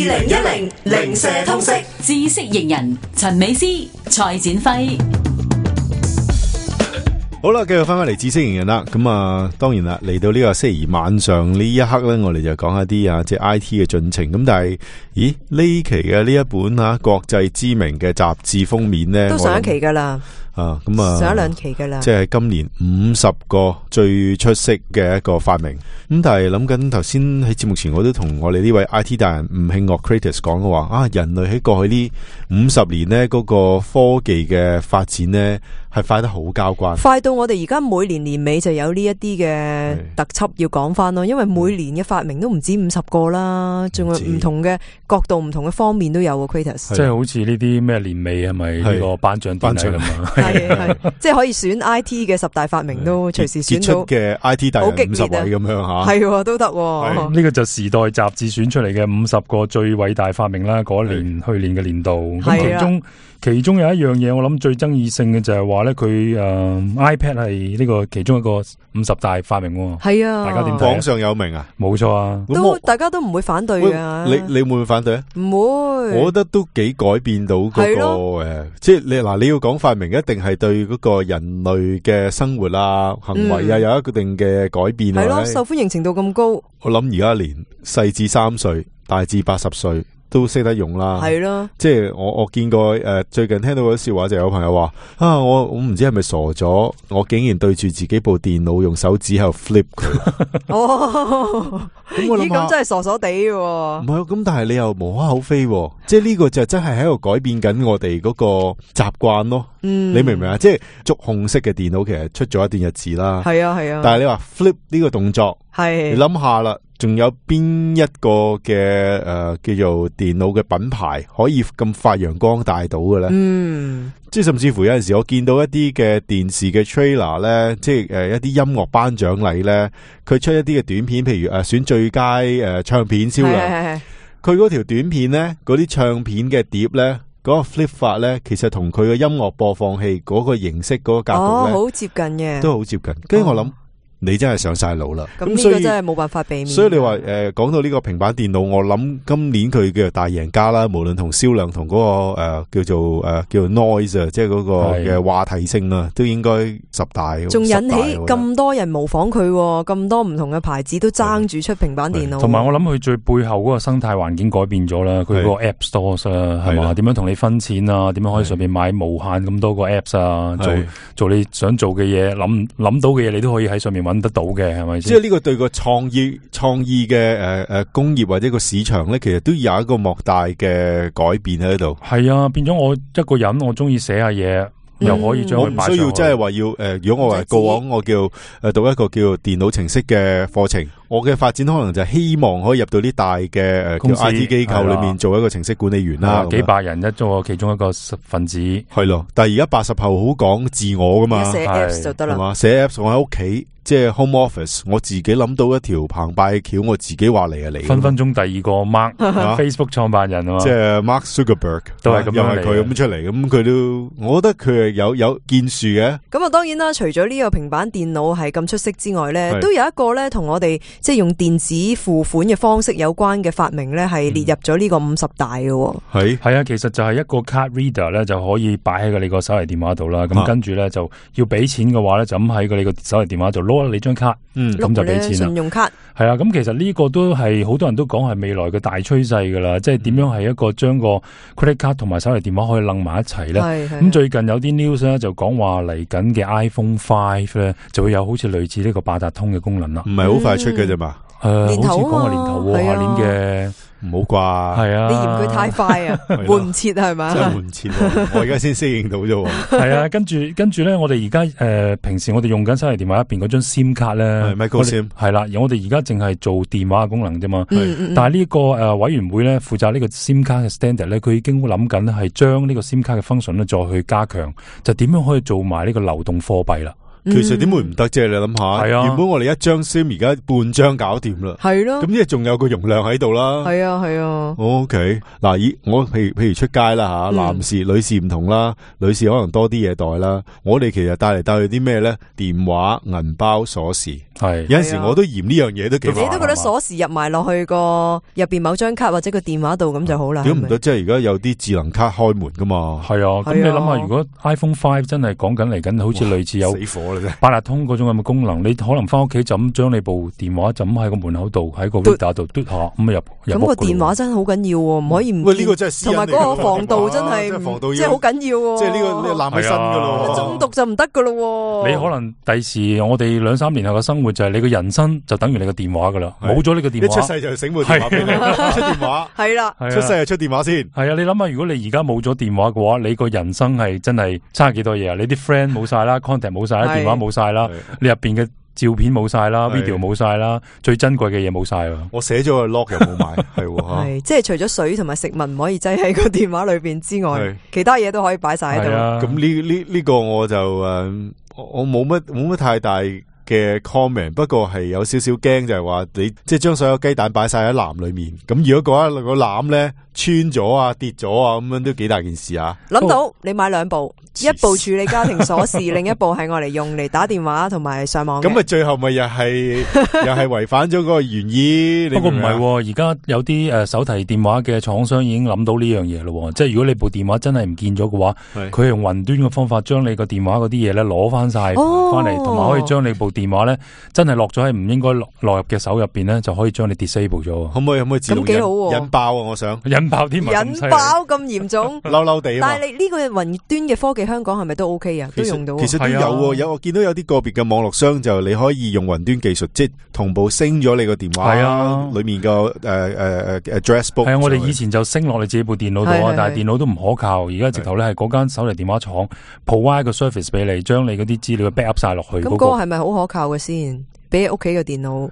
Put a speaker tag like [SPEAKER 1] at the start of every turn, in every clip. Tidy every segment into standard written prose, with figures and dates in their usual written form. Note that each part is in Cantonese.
[SPEAKER 1] 2010零舍通識
[SPEAKER 2] 知識型人陳美詩、蔡展輝。
[SPEAKER 3] 好啦，繼續翻返嚟知識型人啦。咁啊，當然啦，嚟到呢個星期二晚上呢一刻咧，我哋就講一啲即係 I T 嘅進程。咁但係，咦呢期嘅呢一本國際知名嘅雜誌封面咧，
[SPEAKER 4] 都上一期噶啦。
[SPEAKER 3] 咁
[SPEAKER 4] 上一兩期噶啦，
[SPEAKER 3] 即係今年50個最出色嘅一個發明。咁但係諗緊頭先喺節目前，我都同我哋呢位 IT 大人吳慶岳 Kratos 講嘅話，人類喺過去呢50年呢嗰個科技嘅發展呢係快得好交關，
[SPEAKER 4] 快到我哋而家每年年尾就有呢一啲嘅特輯要講翻咯。因為每年嘅發明都唔止50個啦，仲有唔同嘅角度、唔同嘅方面都有啊。Kratos
[SPEAKER 5] 即係好似呢啲咩年尾係咪呢個頒獎典禮咁啊？
[SPEAKER 4] 係即係可以選 IT 嘅10大發明都隨時選到
[SPEAKER 3] 嘅 IT 大人50位咁樣吓，
[SPEAKER 4] 係都得。
[SPEAKER 5] 呢個就時代雜誌選出嚟嘅50個最偉大發明啦。嗰年去年嘅年度，咁其中有一樣嘢，我諗最爭議性嘅就係話咧，佢iPad 係呢個其中一個50大發明。
[SPEAKER 4] 係啊，
[SPEAKER 5] 大家點睇？
[SPEAKER 3] 榜上有名啊，
[SPEAKER 5] 冇錯啊，
[SPEAKER 4] 大家都唔會反對噶。
[SPEAKER 3] 你會唔會反對啊？
[SPEAKER 4] 唔會，
[SPEAKER 3] 我覺得都幾改變到嗰個即係你要講發明，一定係對嗰個人類嘅生活啊、行為啊有一定嘅改變。
[SPEAKER 4] 係咯，受歡迎程度咁高。
[SPEAKER 3] 我諗而家連細至3歲，大至80歲。都識得用啦，
[SPEAKER 4] 係咯，
[SPEAKER 3] 即係我見過最近聽到嗰啲笑話，就有朋友話我唔知係咪傻咗，我竟然對住自己部電腦用手指喺度 flip 佢。咁我諗
[SPEAKER 4] 咁真係傻傻地嘅。
[SPEAKER 3] 唔係，咁但係你又無可厚非，即係呢個就真係喺度改變緊我哋嗰個習慣咯。你明唔明啊？即係觸控式嘅電腦其實出咗一段日子啦，
[SPEAKER 4] 係啊，
[SPEAKER 3] 但係你話 flip 呢個動作，你諗下啦。仲有邊一個嘅叫做電腦嘅品牌可以咁發揚光大到嘅咧？即係甚至乎有陣時我見到一啲嘅電視嘅 trailer 咧，即係一啲音樂頒獎禮咧，佢出一啲嘅短片，譬如選最佳唱片銷量，佢嗰條短片咧，嗰啲唱片嘅碟咧，嗰個 flip 法咧，其實同佢嘅音樂播放器嗰個形式嗰個格局咧，
[SPEAKER 4] 好接近嘅，
[SPEAKER 3] 都好接近。跟住我諗。你真係上晒腦啦，
[SPEAKER 4] 咁呢個真係冇辦法避免。
[SPEAKER 3] 所以你話講到呢個平板電腦，我諗今年佢嘅大贏家啦，無論同銷量同嗰個叫做 noise 啊，即係嗰個嘅話題性啊，都應該10大。仲
[SPEAKER 4] 引起咁多人模仿佢，咁多唔同嘅牌子都爭住出平板電腦。
[SPEAKER 5] 同埋我諗佢最背後嗰個生態環境改變咗啦，佢嗰個 App Stores 啊，係嘛？點樣同你分錢啊？點樣可以上面買無限咁多個 Apps 啊？做你想做嘅嘢，諗到嘅嘢，你都可以喺上面揾得到嘅，係咪先？
[SPEAKER 3] 即係呢個對個創意嘅工業或者個市場咧，其實都有一個莫大嘅改變喺度。
[SPEAKER 5] 係啊，變咗我一個人，我中意寫下嘢，又可以將佢擺上去。
[SPEAKER 3] 我唔需要即係話要如果我係過往我叫讀一個叫電腦程式嘅課程，我嘅發展可能就係希望可以入到啲大嘅叫 IT 機構裏面做一個程式管理員啦，
[SPEAKER 5] 幾百人一個其中一個分子。
[SPEAKER 3] 係咯，但係而家80後好講自我噶嘛，
[SPEAKER 4] 寫 Apps 就得啦，係嘛？
[SPEAKER 3] 寫 Apps 我喺屋企。即係 home office， 我自己諗到一條澎湃嘅橋，我自己話嚟啊嚟。
[SPEAKER 5] 分分鐘第二個 Facebook 創辦人啊，
[SPEAKER 3] 即係 Mark Zuckerberg
[SPEAKER 5] 都係咁樣嚟，
[SPEAKER 3] 又係佢咁出嚟，咁佢都，我覺得佢係有建樹嘅。
[SPEAKER 4] 咁啊，當然啦，除咗呢個平板電腦係咁出色之外咧，都有一個咧同我哋即係用電子付款嘅方式有關嘅發明咧，係列入咗呢個50大嘅。
[SPEAKER 5] 係啊，其實就係一個 card reader 咧，就可以擺喺你個手提電話度啦。咁跟住咧就要俾錢嘅話咧，就咁喺你個手提電話度攞你張卡，咁就俾錢啦。
[SPEAKER 4] 信用卡
[SPEAKER 5] 係啊，咁其實呢個都係好多人都講係未來嘅大趨勢噶啦，即係點樣係一個將個 credit card 同埋手提電話可以楞埋一齊咧。咁最近有啲 news 咧就講話嚟緊嘅 iPhone 5咧就會有好似類似呢個八達通嘅功能啦。
[SPEAKER 3] 唔係好快出嘅啫嘛，
[SPEAKER 5] 好似講話年頭喎，下年嘅。
[SPEAKER 3] 唔好啩，
[SPEAKER 5] 係啊！
[SPEAKER 4] 你嫌佢太快啊，換唔切係咪？
[SPEAKER 3] 真係換唔切，我而家先適應到啫。
[SPEAKER 5] 係啊，跟住咧，我哋而家平時我哋用緊手提電話入邊嗰張 SIM 卡咧
[SPEAKER 3] ，micro SIM
[SPEAKER 5] 係啦，我哋而家淨係做電話嘅功能啫嘛。但係呢個委員會咧負責呢個 SIM 卡嘅 standard 咧，佢已經諗緊係將呢個 SIM 卡嘅 function 咧再去加強，就點樣可以做埋呢個流動貨幣啦。
[SPEAKER 3] 其實點會唔得啫？你諗下，原本我哋一張 SIM 而家半張搞掂啦，
[SPEAKER 4] 係咯，
[SPEAKER 3] 咁即係仲有個容量喺度啦。
[SPEAKER 4] 係啊。
[SPEAKER 3] OK， 嗱，我譬如出街啦吓，男士、女士唔同啦，女士可能多啲嘢袋啦。我哋其實帶嚟帶去啲咩咧？電話、銀包、鎖匙。係有陣時我都嫌呢樣嘢都幾煩。
[SPEAKER 4] 你都覺得鎖匙入埋落去個入邊某張卡或者個電話度咁就好啦。
[SPEAKER 3] 點唔得？即係而家有啲智能卡開門噶嘛？
[SPEAKER 5] 係啊，咁你諗下，如果 iPhone 5真係講緊嚟緊，好似類似有
[SPEAKER 3] 死火啦啫，
[SPEAKER 5] 八達通嗰種咁嘅功能，你可能翻屋企就咁將你部電話就咁喺個門口度，喺個 reader 度嘟下咁入。
[SPEAKER 4] 咁個電話真係好緊要，唔可以唔見。
[SPEAKER 3] 喂，呢個真係私隱嚟㗎，
[SPEAKER 4] 同埋嗰個防盜真係即係好緊要。
[SPEAKER 3] 即係呢個攬起身噶咯，
[SPEAKER 4] 中毒就唔得噶咯。
[SPEAKER 5] 你可能第時我哋2-3年後嘅生活就係你個人生就等於你個電話噶啦，冇咗呢個電話，
[SPEAKER 3] 一出世就醒部電話俾你，出電話
[SPEAKER 4] 係啦，
[SPEAKER 3] 出世就出電話先。
[SPEAKER 5] 係啊，你諗下，如果你而家冇咗電話嘅話，你個人生係真係差幾多嘢啊？你啲 friend 冇晒啦，contact 冇晒啦，電話冇晒啦，你入邊嘅照片冇晒啦 ，video 冇晒啦，最珍貴嘅嘢冇晒啊！
[SPEAKER 3] 我寫咗個 lock 又冇買，係
[SPEAKER 4] 即係除咗水同埋食物唔可以擠喺個電話裏邊之外，其他嘢都可以擺晒喺度。
[SPEAKER 3] 咁呢個我就我冇乜太大嘅 comment， 不過係有少少驚，就係話你即係將所有雞蛋擺晒喺籃裏面，咁如果嗰個籃咧穿咗啊跌咗啊，咁樣都幾大件事啊！
[SPEAKER 4] 諗到你買2部，一部處理家庭鎖匙，另一部係我嚟用嚟打電話同埋上網。
[SPEAKER 3] 咁咪最後咪又係違反咗嗰個原意？
[SPEAKER 5] 不過唔係，而家有啲手提電話嘅廠商已經諗到呢樣嘢咯，即係如果你部電話真係唔見咗嘅話，佢用雲端嘅方法將你個電話嗰啲嘢咧攞翻晒翻嚟，同埋可以將你部電話咧真係落咗喺唔應該落入嘅手入邊咧，就可以將你 disable 咗。
[SPEAKER 3] 可唔可以自動引爆啊？我想
[SPEAKER 5] 引爆添，
[SPEAKER 4] 引爆咁嚴重，
[SPEAKER 3] 嬲嬲地。
[SPEAKER 4] 但係你呢個雲端嘅科技，香港係咪都 OK 啊？都用到。
[SPEAKER 3] 其實都有我見到有啲個別嘅網絡商就你可以用雲端技術，即係同步升咗你個電話裏面個address book。
[SPEAKER 5] 係啊，我哋以前就升落你自己部電腦度啊，但係電腦都唔可靠。而家直頭咧係嗰間手提電話廠 provide 個 service 俾你，將你嗰啲資料 backup 晒落去。
[SPEAKER 4] 咁嗰個係咪好可靠嘅先？比你屋企嘅電腦？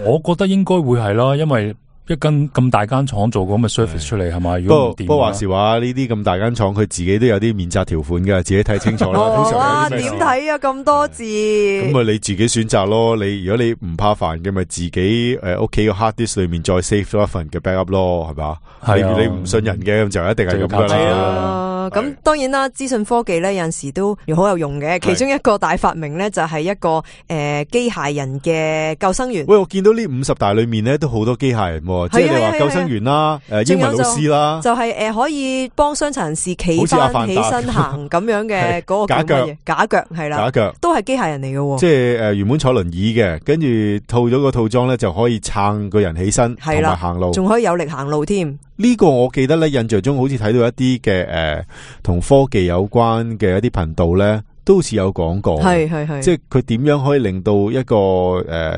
[SPEAKER 5] 我覺得應該會係啦，因為一間咁大間廠做咁嘅 service 出嚟係嘛？
[SPEAKER 3] 不過話時話呢啲咁大間廠，佢自己都有啲免責條款嘅，自己睇清楚啦。
[SPEAKER 4] 哇，點睇啊？咁多字。
[SPEAKER 3] 咁咪你自己選擇咯。如果你唔怕煩嘅，咪自己屋企個 hard disk 裏面再 save 咗一份嘅 backup 咯，係嘛？你唔信人嘅，咁就一定係咁噶啦。
[SPEAKER 4] 咁當然啦，資訊科技咧有陣時都好有用嘅。其中一個大發明咧就係一個機械人嘅救生員。
[SPEAKER 3] 喂，我見到呢50大裏面咧都好多機械人，即係你話救生員啦，英文老師啦，
[SPEAKER 4] 就係可以幫傷殘人士企翻起身行咁樣嘅嗰個假腳係啦，假腳都係機械人嚟嘅。
[SPEAKER 3] 即係原本坐輪椅嘅，跟住套咗個套裝咧就可以撐個人起身同埋行路，
[SPEAKER 4] 仲可以有力行路添。
[SPEAKER 3] 呢個我記得咧，印象中好似睇到一啲嘅同科技有關嘅一啲頻道咧，都好似有講過，係，即係佢點樣可以令到一個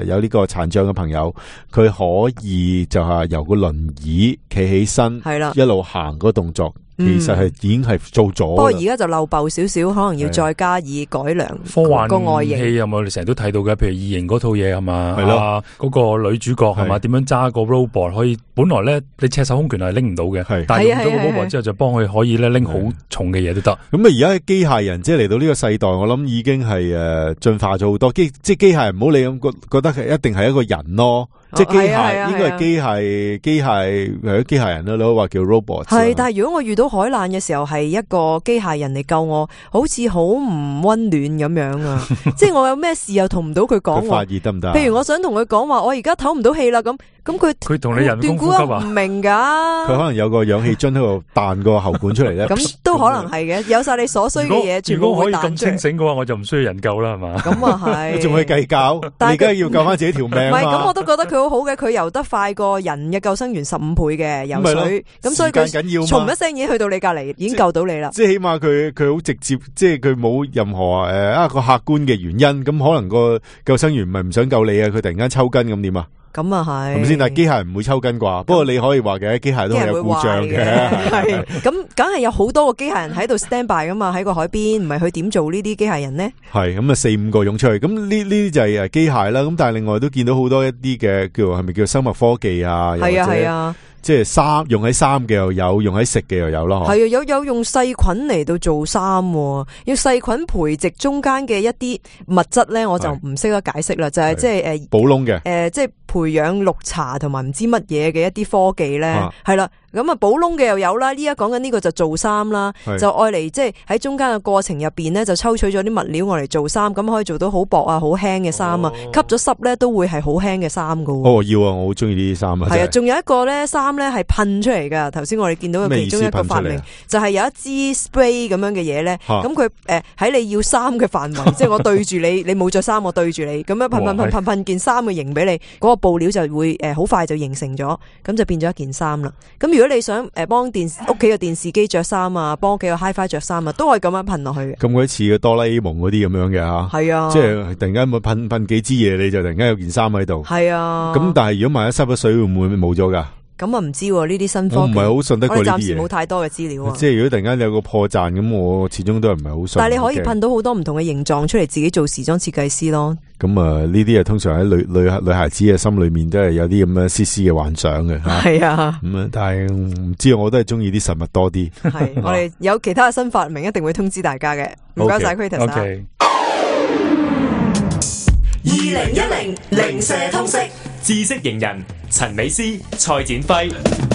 [SPEAKER 3] 有呢個殘障嘅朋友，佢可以就係由個輪椅企起身，係啦，一路行嗰個動作。其實係已經係做咗，不
[SPEAKER 4] 過而家就漏爆少少，可能要再加以改良
[SPEAKER 5] 科幻
[SPEAKER 4] 個外形。
[SPEAKER 5] 戲有冇？我哋成日都睇到嘅，譬如異形嗰套嘢係嘛，
[SPEAKER 3] 係咯，
[SPEAKER 5] 嗰個女主角係嘛，點樣揸個 robot 可以？本來咧你赤手空拳係拎唔到嘅，但係用咗個 robot 之後就幫佢可以咧拎好重嘅嘢都得。
[SPEAKER 3] 咁啊，而家機械人即係嚟到呢個世代，我諗已經係進化咗好多。即係機械人唔好理咁覺得係一定係一個人咯。即係機械，應該係機械人啦，你可以話叫 robot。
[SPEAKER 4] 係，但係如果我遇到海難嘅時候，係一個機械人嚟救我，好似好唔溫暖咁樣啊！即係我有咩事又同唔到佢講。
[SPEAKER 3] 發熱得唔得？
[SPEAKER 4] 譬如我想同佢講話，我而家唞唔到氣啦，咁
[SPEAKER 5] 佢同你人工呼吸啊？
[SPEAKER 4] 唔明噶。
[SPEAKER 3] 佢可能有個氧氣樽喺度彈個喉管出嚟咧。
[SPEAKER 4] 咁都可能係嘅，有晒你所需嘅嘢，全部會彈出嚟。
[SPEAKER 5] 如果可以咁清醒嘅話，我就唔需要人救啦，係嘛？咁
[SPEAKER 4] 啊係。
[SPEAKER 3] 你仲去計較？你而家要救翻自己條命。唔
[SPEAKER 4] 係，咁我都覺得佢好好嘅，佢游得快過人嘅救生員15倍嘅游水，咁所以佢從一聲已經去到你隔籬，已經救到你啦。
[SPEAKER 3] 即係起碼佢好直接，即係佢冇任何一個客觀嘅原因，咁可能個救生員唔係唔想救你啊，佢突然間抽筋咁點啊？
[SPEAKER 4] 咁啊係，
[SPEAKER 3] 係咪先？但係機械人唔會抽筋啩？不過你可以話嘅，機械都係有故障嘅。
[SPEAKER 4] 係咁，梗係有好多個機械人喺度 stand by 噶嘛，喺個海邊，唔係佢點做呢啲機械人呢？
[SPEAKER 3] 係咁啊，4-5個湧出去，咁呢啲就係機械啦。咁但係另外都見到好多一啲嘅係咪叫生物科技啊？係啊係啊。即係用喺衫嘅又有，用喺食嘅又有咯。係啊，有用細菌嚟到做衫，要細菌培植中間嘅一啲物質咧，我就唔識得解釋啦。就係即係補窿嘅，
[SPEAKER 4] 即係培養綠茶同埋唔知乜嘢嘅一啲科技咧，係啦。咁啊，補窿嘅又有啦，呢家講緊呢個就做衫啦，就愛嚟即係喺中間嘅過程入邊咧，就抽取咗啲物料愛嚟做衫，咁可以做到好薄啊、好輕嘅衫啊，吸咗濕咧都會係好輕嘅衫噶。
[SPEAKER 3] 哦，要啊，我好中意呢啲衫啊。
[SPEAKER 4] 係啊，仲有一個咧衫咧係噴出嚟噶。頭先我哋見到嘅其中一個發明就係有一支 spray 咁樣嘅嘢咧，咁佢喺你要衫嘅範圍，即係我對住你，你冇着衫，我對住你，咁樣噴件衫嘅型俾你，嗰個布料就會好快就形成咗，咁就變咗一件衫啦。咁如果你想幫屋企嘅電視機着衫啊，幫屋企嘅 HiFi 着衫啊，都可以咁樣噴落去嘅。
[SPEAKER 3] 咁鬼似嘅哆啦 A 夢嗰啲咁樣嘅吓，係啊，即係突然間咪噴幾支嘢，你就突然間有件衫喺度。係啊，咁但係如果萬一濕咗水，會唔會冇咗噶？咁啊唔知呢啲新科技，我唔係好信得過呢啲嘢。我哋暫時冇太多嘅資料啊。即係如果突然間有個破綻，咁我始終都係唔係好信。但係你可以噴到好多唔同嘅形狀出嚟，自己做時裝設計師咯。咁啊，呢啲啊通常喺女孩子嘅心裏面都係有啲咁樣絲絲嘅幻想嘅。係啊，咁啊，但係唔知我都係中意啲實物多啲。係，我哋有其他嘅新發明，一定會通知大家嘅。唔該晒 Kratos。
[SPEAKER 1] 2010零舍通識
[SPEAKER 6] 知識型人陳美詩、蔡展輝。